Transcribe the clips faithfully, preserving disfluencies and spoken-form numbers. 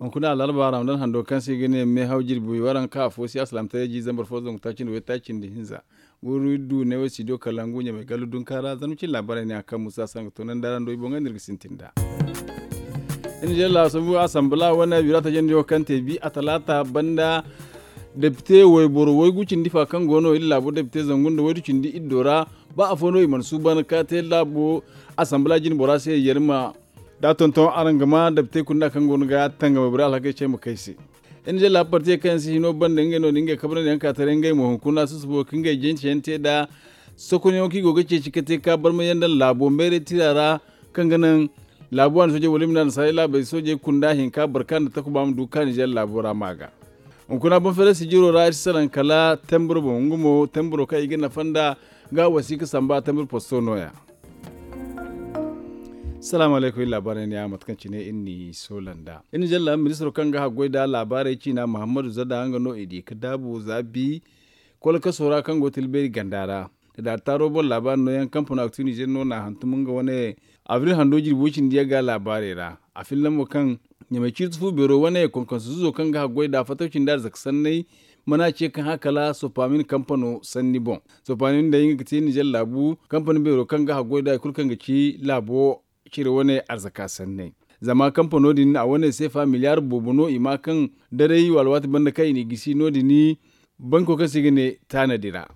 Hunkuna alarba ramadan hando kaŋ se i ga ne meehaw jirbi waranka afo si asalaamtaray ji zambar fo zangu taaci nda waytaaci nda hinza. Guru du ne wo studio kalangu ɲamay gallu dunka ra zarma cine laabaarey ne a kaŋ musa sanga toonandi ra nda i boŋey no iri ga sintin nd'a. Iri na jalla sambu asambala wane bira tajandiyo kaŋ te bi a talaata banda depite wayboro waygu cindi fa kaŋ go no iri laabo depite zangu nda waydu cindi iddo ra. Ba afo no i mana suuban ka te laabo asambala jine bora se yarima da tonton araŋ ga ma depite kunda kaŋ go no ga tangam wayboro alhakey ce ma kay se. Iri na jalla parti kaŋ yaŋ si hino banda ngey no da ngey kabrandi yaŋ ka taray ngey mo hunkuna susubo ka ngey jance yaŋ te nd'a. Sokonyaŋo kaŋ i go ga ceeci ka te ka barma yaŋ daŋ laabo meeray tira ra kaŋ ga naŋ laabu waani soojey wala i ma ne annasaarey laabey soojey kunda hinka barka nda takuba ma du ka nizeer laabo ra ma ga. Hunkuna boŋ feeray sijiro ra iri si salaŋ kala temburo boŋ nga mo temburo kaŋ i ga nafa nda ga wasiika samba temburo posto no- ya. Salaamu alaykum iri laabaarey ne ya mate kaŋ cine iri n'i soola nd'a iri nizeer laabo ministiro kaŋ ga haggoy nd'a laabaarey ciina muhammadu zada nga no i di ga daabu za bi kolkaso ra kaŋ go tilbeeri ganda ra. Daari taaro boŋ laabaari nooyaŋ kampano aktu nizeer no n'a hantum nga wane abril hando jirbi way cindi yagga laabaarey ra. A filla mo kaŋ ɲamay ciiti fu beero wane konkonso zuzo kaŋ ga haggoy nd'a fattaw cindi arzaka sanney mana ce kaŋ hã kala sopamin kampano sanni boŋ. Sopamin day nga ga te nizeer laabu kampani beero kaŋ ga haggoy nd'a hari kulu kaŋ ga ci laabo cire wane arzaka sanney. Zama kampano din a wane seefa miliyaar boobo no i ma kaŋ daray alwaati banda kaŋ i n'i gisi no- din banko kaŋ se i ga ne taanadi ra.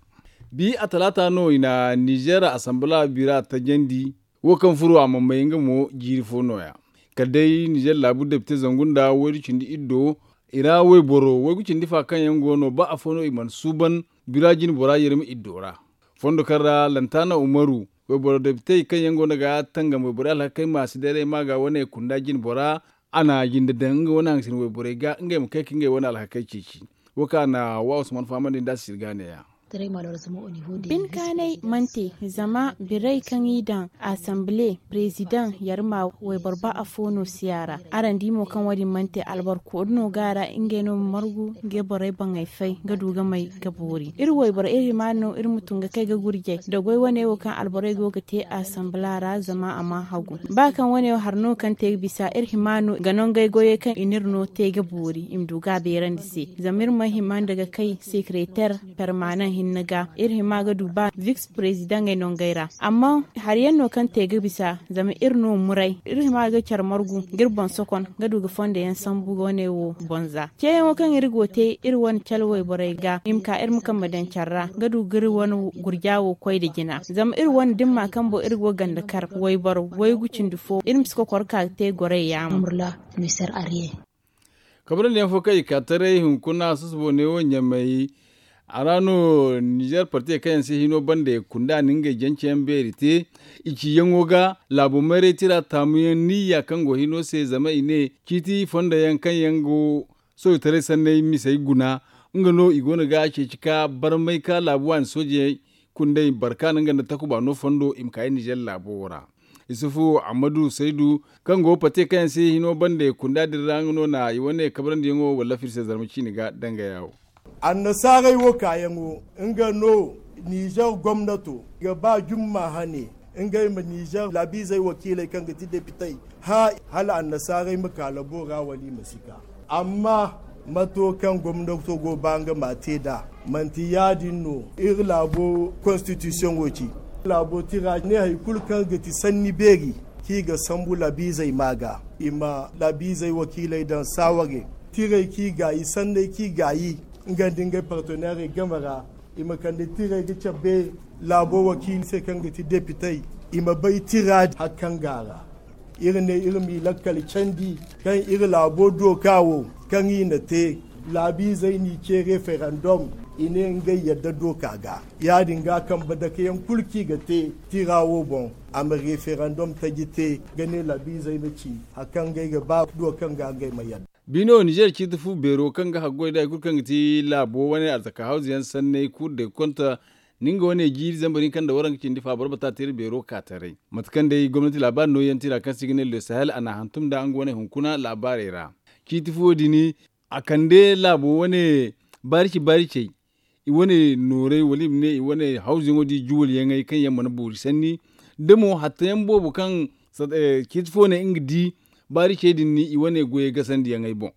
Bi a talaata no i na nizeer asambala bira tajandi wo kaŋ furo a ma may nga mo jiiri fo no- ya. Kala day nizeer laabu depite zangu nda waydu cindi iddo i ra wayboro waygu cindi fa kaŋ yaŋ go no ba afo no i mana suuban bira jine bora yerma iddo ra. Fondo kaŋ ra lantaana umaru wayboro depitey kaŋ yaŋ go no ga tangam wayborey alhakey ma si dayray ma ga wane kunda jine bora a na jinde daŋ nga wane haŋ ga sinda wayborey ga ngey ma kay ka ngey wane alhakey ceeci. Wo kaŋ a na wa usman fahamandi nd'a sirga ne- ya. Bin kaanay mana te zama birey kaŋ i daŋ asamble president yarma wayboro ba afo no si a ra. Araŋ di mo kaŋ wo- din mana te alboro koori no ga a ra ngey no ma margu ngey borey baŋey fay ga du ga may ga boori iri wayboro iri hima no iri ma tun ga kay ga gurjay da goy wane wo kaŋ alborey go ga te asambala ra zama a ma hagu. Ba kaŋ wane wo hari no kaŋ te ga bisa iri hima no ga nangey goyey kaŋ i n'iri no te ga boori i ma du ga a beerandi se. Zama iri mana hima nda ga kay sekereter permanan hinne ga iri hima ga du ba viks prezidaŋey nangey ra. Amma hari yaŋ no kaŋ te ga bisa zama iri no muray iri hima ga care margu ga iri boŋ sokon ga du ga fondo yaŋ sambu wane wo boŋ za ceeyaŋo kaŋ iri go te iri wane cale wayborey ga i ma ka iri ma kambe daŋ care ra ga du ga iri wane gurja wo koy nda jina zama iri wane dimma kaŋ boŋ iri go ganda kar wayboro waygu cindi fo iri ma si kokor ka ga te gorey yaamo. Kabrandi yaŋ fo kaŋ i ka taray hunkuna susubo ne wo ɲamay a ra no nizeer partey kaŋ yaŋ se hino banda i kunda na ngey jance yaŋ beeri te i ciyaŋo ga laabo mayray tira taamu yaŋ niyya kaŋ go hino se zama i ne ciiti fondo yaŋ kaŋ yaŋ go soojitaray sanney misey guna nga no i go no ga a ceeci ka barmay ka laabu waani soojey kundey barka no nga nda takuba no fondo i ma ka i nizeer laabo wo ra. Isufu ammadu saydu kaŋ go pate kaŋ yaŋ se hino banda kunda din ra nga no na i wane kabrandi yaŋo wallafir se zarma ciine ga dangaya wo. Annasaarey wo kaayaŋo nga no nizeer gomnato ga ba jumma hane ngey ma nizeer laabiizey wakiiley kaŋ ga ti depitey hã hala annasaarey ma ka labo ra wala i ma si ka. Amma mato kaŋ gomnato go ba nga ma te nd'a manti ya- din no iri laabo konstitisiyoŋo ci. Laabo tira ne hari kulu kaŋ ga ti sanni beeri kaŋ i ga sambu laabiizey ma ga i ma laabiizey wakiiley daŋ saaware tirey kaŋ i gaayi sanney kaŋ i gaayi nga nda ngey parteneerey game ra i ma kande tirey ga cabe laabo wakiili se kaŋ ga ti depitey i ma bay tira hari kaŋ go a ra. Iri ne iri m'i lakkal candi kaŋ iri laabo dooka wo kaŋ i na te laabiizey n'i ce referandom i ne ngey yadda dooka ga ya- din ga kambe dake yaŋ kulu kaŋ i ga te tira wo boŋ a ma referandom taji te ga ne laabiizey ma ci hari kaŋ ngey ga ba dooka nga ngey ma yadda. Bino nizeer ciiti fu beero kaŋ ga haggoy nda hari kulu kaŋ ga ti laabo wane arzaka hawzu yaŋ sanney kuuru day konta ni nga wane jiiri zambar hinka nda waranka cindi fa boro bata teeri beero ka taray mate kaŋ day gomnati laabaari nooyaŋ tira kaŋ se i ga ne le sahel a n'a hantum nda nga wane hunkuna laabaarey ra. Ciiti fuwo din a kande laabo wane baarici baaricey i wane noorey wala i ma ne i wane hawzuyaŋo da i juwalyaŋey kaŋ yaŋ mana boori sanni da mo hattayaŋ boobo kaŋ ciiti fo ne nga di baaricey din ni i wane goyey gasandiyaŋey boŋ.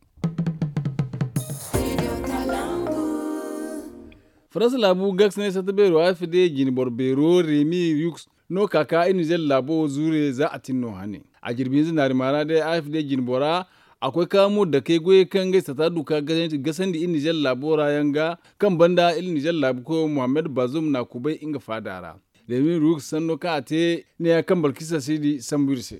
Faransa laabu gaksinay satta beero a f d jinboro beero remi yuks no ka ka iri nizer laabo wo zuure za a tin no hane. A jirbi hinza naari maara day a f d jinbora a koy ka mo dakey goyey kaŋ ngey satta du ka gasandi iri nizer laabo ra yaŋ ga kaŋ banda iri nizer laabu koyo mohammed bazum na kubay nga faada ra. Remi yuks sanno kaŋ a te neeya kaŋ balkisa si di sambu iri se.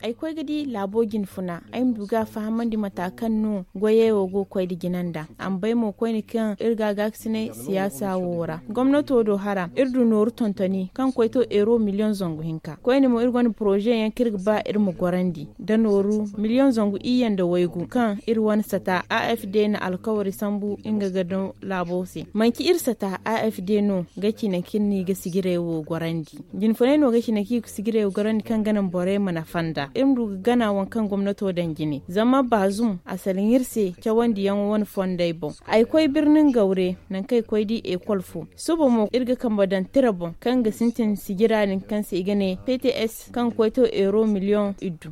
Ay koy ga di laabo jine funa ay ma du ga a fahamandi mata kaŋ no goyey wo go ga koy nda jina nda a ma bay mo koyne kaŋ iri ga a gaakasinay siyaasa wo ra gomnato do hara iri du nooru tontoni kaŋ koy to euro miliyoŋ zangu hinka koyne mo iri gonda poroze yaŋ kaŋ iri ga ba iri ma gorandi nda nooru miliyoŋ zangu iyye nda waygu kaŋ iri wane sata a f d na alkawari sambu nga ga daŋ laabo se manci iri sata a f d no ga ci nangu kaŋ iri n'i ga sijirey wo gorandi. Jinfunay no ga ci nangu kaŋ i ga sijirey wo gorandi kaŋ ga naŋ borey ma nafa nd'a iri ma du ga gana waŋ kaŋ gomnato daŋ jine zama baazum a salaŋ iri se cawandiyaŋo wane fondey boŋ. Ay koy birnin gawre nangu kaŋ ay koy di ekol fo suba mo iri ga kambe daŋ tira boŋ kaŋ ga sintin sijira din kaŋ se i ga ne p t s kaŋ ga koy to euro miliyoŋ iddu.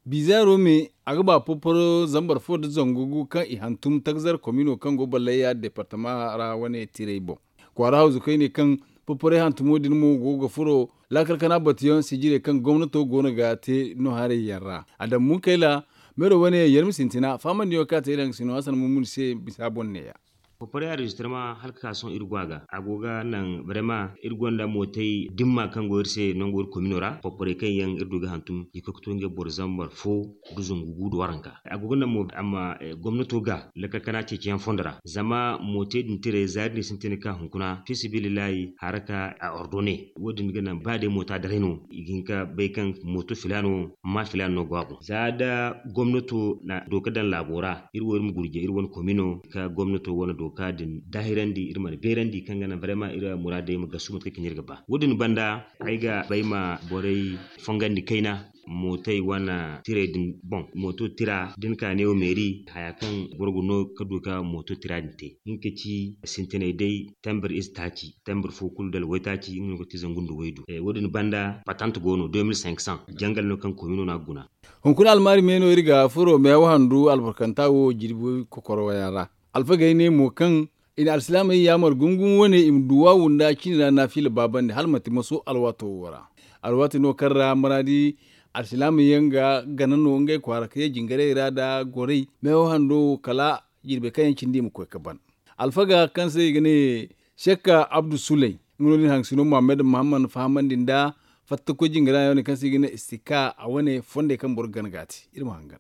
Bizaaro me a ga ba porporo zambar fo nda zangu gu kaŋ i hantum tagzar komino kaŋ go ballayya deepartama ra wane tirey boŋ. Kwaara hawzu kaŋ i ne kaŋ porporey hantumo din mo go ga furo laakal kana batuyaŋ sijirey kaŋ gomnato go no ga te no haray yaŋ ra. Adamu munkayla meero wane yaŋ yar ma sintina fahamandiyaŋo kaŋ a te iri haŋ ga sino hasan mummuni se bisa boŋ neeya. Porporey anrejistirma hala ka ka sohõ iri go a ga a go ga naŋ barema iri gonda mootey dimma kaŋ go iri se nango iri komino ra porporey kaŋ yaŋ iri du ga hantum i ga koy ga to ngey boro zambar fo nda zangu gu nda waranka. A go ga naŋ mo a ma gomnato ga lakkal kana ceeciyaŋ fondo ra zama mootey din tirey za iri n'i sintin ga ka hunkuna fiisabilillahi haraka a ordone. Wo- din ga naŋ ba day moota daray no i ga hin ka bay kaŋ mooto filaano ma filaano no go a boŋ za da gomnato na dooka daŋ laabo ra iri wo iri ma gurje iri wane komino ka gomnato wane dooka din daahirandi iri mana beerandi kaŋ ga naŋ barema iri muraadey ma gasu mate kaŋ cine iri ga ba wo- din banda ay ga bay ma borey fongandi kayna mootey wane tirey din boŋ mooto tira da ni ka neewo meeri haya kaŋ boro ga no ka du ka mooto tira din te nga ka ci sintinay day tembir ize taaci tembir fo kulu da alway taaci nga no ga ti zangu nda waydu. Wo- din banda patant go no deux mille cinq cents jangal no kaŋ komino no a ga guna. Hunkuna almaari me no iri ga furo meehaw handu albarkanta wo jirbi kokoro wayaŋ ra. Alfagey ne mo kaŋ i na alsilaamey yaamar gumo gumo wane i ma duwaawu nda cine ra naafiila baabandi hala manti maso alwaato wo ra. Alwaati no kaŋ ra maraadi alsilaamey yaŋ ga gana no ngey kwaara ka ye jingarey ra nda gorey meehaw hando wo kala jirbey kaŋ yaŋ cindi i ma koy ga ban. Alfaga kaŋ se i ga ne sekka abdu suley nga no din haŋ sino muhammad muhammad fahamandi nda fattakoy jingara yaŋ wane kaŋ se i ga ne istikka a wane fondey kaŋ boro ga gana ga a te iri ma hangan.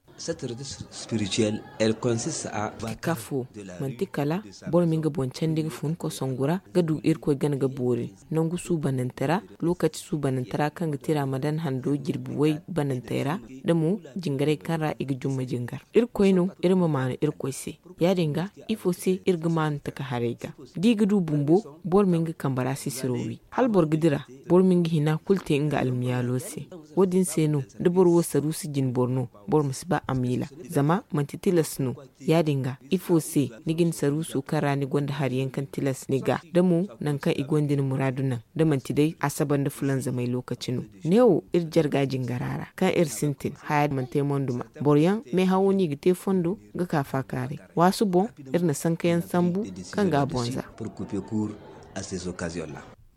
Spirituel el consiste à. Tikaf wo manti kala boro ma nga boŋ candi ga fun kosongu ra ga du irkoy gana ga boori nangu suubanante ra, lokaci suubanante ra kaŋ ga tira ma daŋ hando jirbi way banantey ra da mo jingarey kaŋ ra i ga jumma jingar irkoy no. Iri ma maanu irkoy se ya- din ga ifo se iri ga maanu taka haray ga da i ga du bumbo boro ma nga kambe ra sisiro wi hala boro ga dira boro ma nga hina kulu te nga almiyaalo se. Wo- din se no da boro wo saruusu jine boro no boro ma si ba a miila zama manti tilas no. Ya- din ga ifo se ni ga ni saruuso kaŋ ra ni gonda hari yaŋ kaŋ tilas ni ga da mo nangu kaŋ i gonda ni muraadu naŋ da manti day asaba nda fulanzamay lookaci no. Neewo iri jarga jingara ra kaŋ iri sintin haya manti ay monduma boro yaŋ meehawo no i ga te fondo ga ka faakaaray waasu boŋ iri na sanka yaŋ sambu kaŋ ga a boŋ za.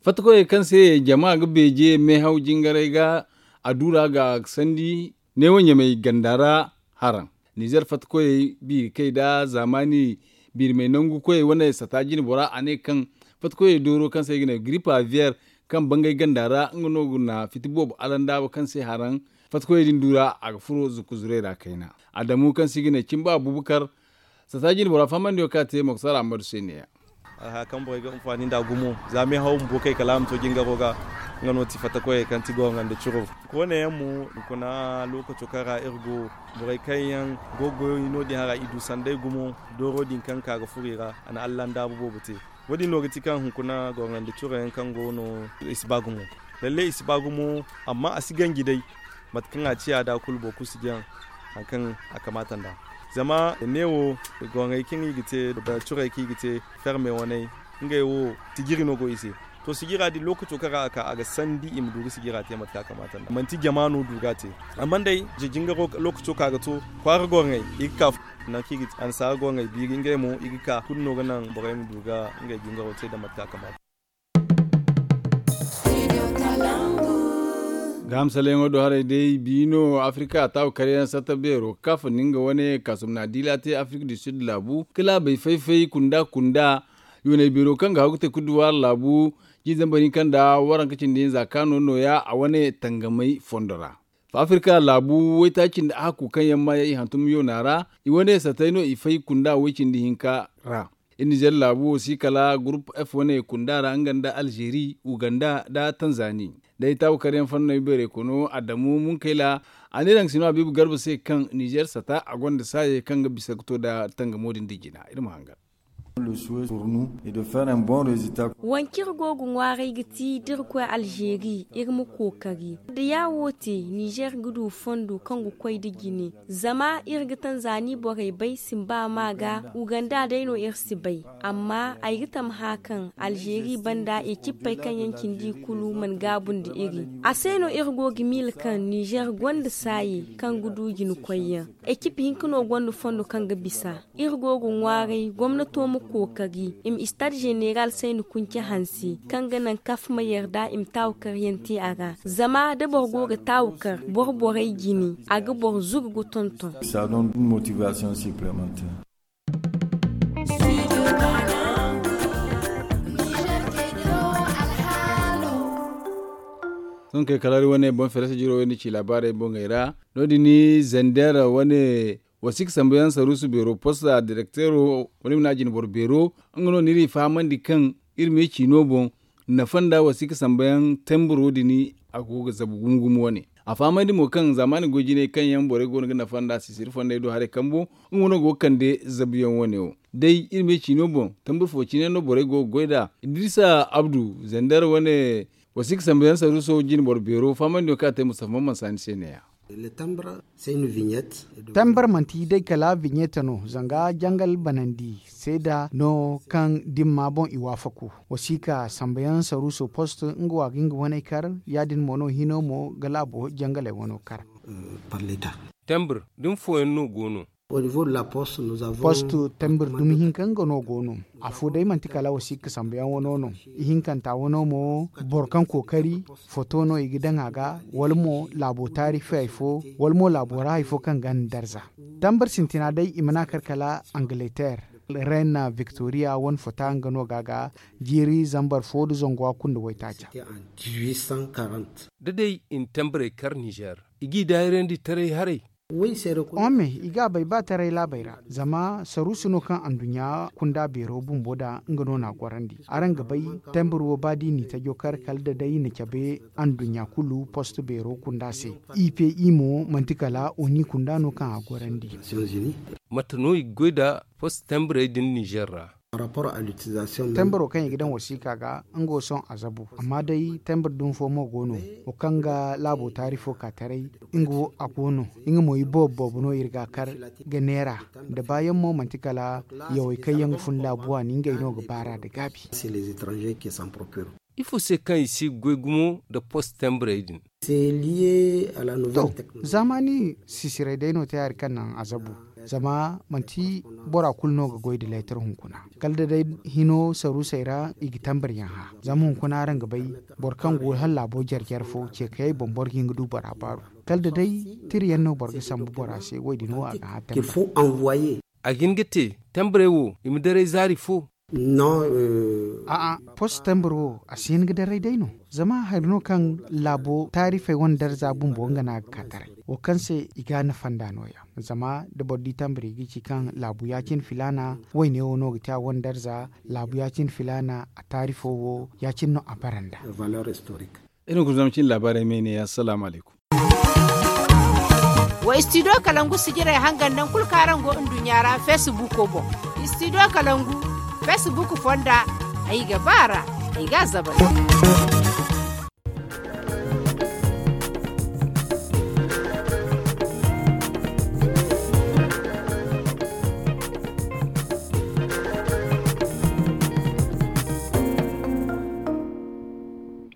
Fattakoyey kaŋ se jama ga beeje meehaw jingaray ga a duura ga sandi neewo ɲamey ganda ra. Haraŋ nizer fattakoyey biiri kay nda zaamaani biirimey nangu koyey wane sata jine bora a ne kaŋ fattakoyey dooro kaŋ se i ga ne gripa viyer kaŋ bangay ganda ra nga no ga na fiti boobo alandaabo kaŋ se haraŋ fattakoyey din duura a ga furo zukku zurey ra kayna. Adamu kaŋ se i ga ne cimba abubakar sata jine bora fahamandiyo kaŋ a te moktar ahmadu se neeya. Alhaya kaŋ borey ga anfaani nd'a gumo za meehaw bumbo kay kala a ma to jingaro ga nga no ti fattakoyey kaŋ ti goronga nda curo. Koyne yaŋ mo hunkuna lookaco kaŋ ra iri go borey kaŋ yaŋ go ga goy no- din hara i du sanday gumo dooro din kaŋ ka ga furo i ra a na allandaabu boobo te. Wo- din no ga ti kaŋ hunkuna goronga nda curo yaŋ kaŋ go no i si ba gumo. Lalle i si ba gumo amma a si ganji day mate kaŋ a ciya da kulu boro kulu si jaŋ hari kaŋ a kamaata nd'a. Zama neewo goŋey kaŋ i ga te da curey kaŋ i ga te ferme waney ngey wo tijiri no go i se. To sijira din lookaco kaŋ ra a ka a ga sandi i ma du ga sijira te mate kaŋ a kamata nd'a manti jama no du ga a te. Amma day, jingaro lookaco kaŋ a ga to, kwaara gorŋey i ga ka nangu kaŋ i ga ti annasaara gorŋey biiri ngey mo i ga ka kulu no ga naŋ borey ma du ga ngey jingaro te nda mate kaŋ a kamata. Gaaham salleyaŋo do haray day biino afirika taabu karyaŋ satta beero kafa nga wane kaasum na diila te afirika du sud laabu ka laabey fay-fay kunda-kunda. Yoonay beero kaŋ ga hagu te kuduwaari laabu jiizambar hinka nda waranka cindi hinza kaano nooya a wane tangamay fondo ra. Afirika laabu waytaaci nda a hakku kaŋ yaŋ ma yaŋ i hantum yoona ra i wane sattey no i fay kunda way cindi hinka ra. Iri nizer laabu wo si kala gurup f wane kunda ra nga nda alzeeri, uganda nda tanzani. Day taabu karyaŋ fanney beerey kono adamu munkayla a ne daŋ sino habiibu garba se kaŋ nizer sata a gonda saayey kaŋ ga bisa ga to nda tangamo din da jina iri ma hangan. Wancir go ga ŋwaaray ga ti da iri koy alzeeri iri ma kookari da ya wo te nizer ga du fondo kaŋ ga koy da jine. Zama iri ga tanzani borey bay simba ma ga uganda day no iri si bay. Amma ay ga tamha kaŋ alzeeri banda ecippey kaŋ yaŋ cindi kulu mana gaabu nda iri. A se no iri go ga miila kaŋ nizer gonda saaye kaŋ ga du jine koyyaŋ. Ecip hinka no gonda fondo kaŋ ga bisa. Iri go ga ŋwaaray gomnato ma kookari i ma istad zeneral sayni kunce hanse kaŋ ga naŋ kaf ma yarda i ma taawukaryaŋ te a ra. Zama da boro go ga taawukar boro borey jine a ga boro zugu ga tonton. Sohõ kay kala iri wane boŋ feere se jiro wo ni ci laabaarey boŋey ra. No- din ni zander wane wasiika sambuyaŋ saruusu beero posta direkteero wala i ma ne a jinboro beero. Nga no n'iri fahamandi kaŋ iri me ciino boŋ nafa nda wasiika sambuyaŋ temburo din a go ga zabu gumo gumo wane. A fahamandi mo kaŋ zaamaani goy jinay kaŋ yaŋ borey go no ga nafa nda sisiri fondey do haray kambo nga no go ga kande zabuyaŋ wane wo. Day iri me ciino boŋ tembur fo cine no borey go ga goy nd'a. Idrisa abdu zander wane wasiika sambuyaŋ saruuso jinboro beero fahamandiyo kaŋ a te mustafa mamman saani se ne- ya. Tambar manti day kala vignette no zanga jangal banandi seeda no kaŋ dimma boŋ i waafaku. Wasiika sambuyaŋ saruuso post nga wa ga nga waney kar ya- din mo no hino mo ga laabo jangaley wano kar. Tembur da ni fooyaŋ no go no. Post tembur dumi hinka nga no go no. Afo day manti kala wasiika sambuyaŋ wano no. Ihinkanta wano mo boro kaŋ kookari foto no i ga daŋ a ga wala mo laabo taarifey hay fo wala mo laabo ra hay fo kaŋ ga ni darza. Tambar sintina day i mana kar kala angleterre reine victoria wane fota nga no ga ga jiiri zambar fo da zangu a kunda waytaaca. Da day i na tambarey kar nizer i g'i daayirandi taray haray. Ome i ga a bay ba taray laabey ra zama saruusu no kaŋ anduɲɲa kunda beero bumbo da nga no n'a gorandi. Araŋ ga bay tembur wo ba da i n'i tajo kar kala da day i na cabe anduɲɲa kulu post beero kunda se. I pe i mo manti kala oni kunda no kaŋ a gorandi. Mate no i ga goy nda post tembrey din nizer ra? Temburo kaŋ i ga daŋ wasiika ga nga wo sohõ a zabu amma day tembur dumi fo mo go no wo kaŋ ga laabo taari fo ka taray. Nga wo a go no nga mo i boobo boobo no iri ga a kar ga neera. Da baayaŋ mo manti kala yawey kaŋ yaŋ ga fun laabu waani ngey no ga baar'a nda gaabi. Ifo se kaŋ i si ga goy gumo nda post tembrey din? To, zaamaani sisirey day no te hari kaŋ naŋ a zabu. Zama manti bora kulu no ga goy nda leetar hunkuna kala da day hino saruusey ra i ga tambar yaŋ hã. Zama hunkuna araŋ ga bay boro kaŋ go hala laabo jare jare fo ce kayey boŋ boro ga hin ga du bora baaru. Kala da day tira yaŋ no boro ga sambu bora se wo- din wo a ga hã tambar. A ga hin ga te tambarey wo i ma daray zaari fo? A'a, post tambar wo a si hin ga daray day no. Zama hari no kaŋ laabo taarifey wane darza bumbo nga no a ga ka taray wo kaŋ se i ga a nafa nd'a nooya. Zama da boro di tambar i ga ci kaŋ laabu ya- cine filaana wayne wo no ga te a wane darza. Laabu ya- cine filaana a taarifo wo ya- cine no a bara nd'a. Iri ma guna zama cine laabaarey me ne ya salaamu alaykum. Wa istidiyo kalangu sijirey hangan naŋ kulu kaŋ araŋ go nduɲɲa ra feesibuuko boŋ. Istidiyo kalangu feesibuuko fonda ay ga ba a ra. Ay ga a zabari.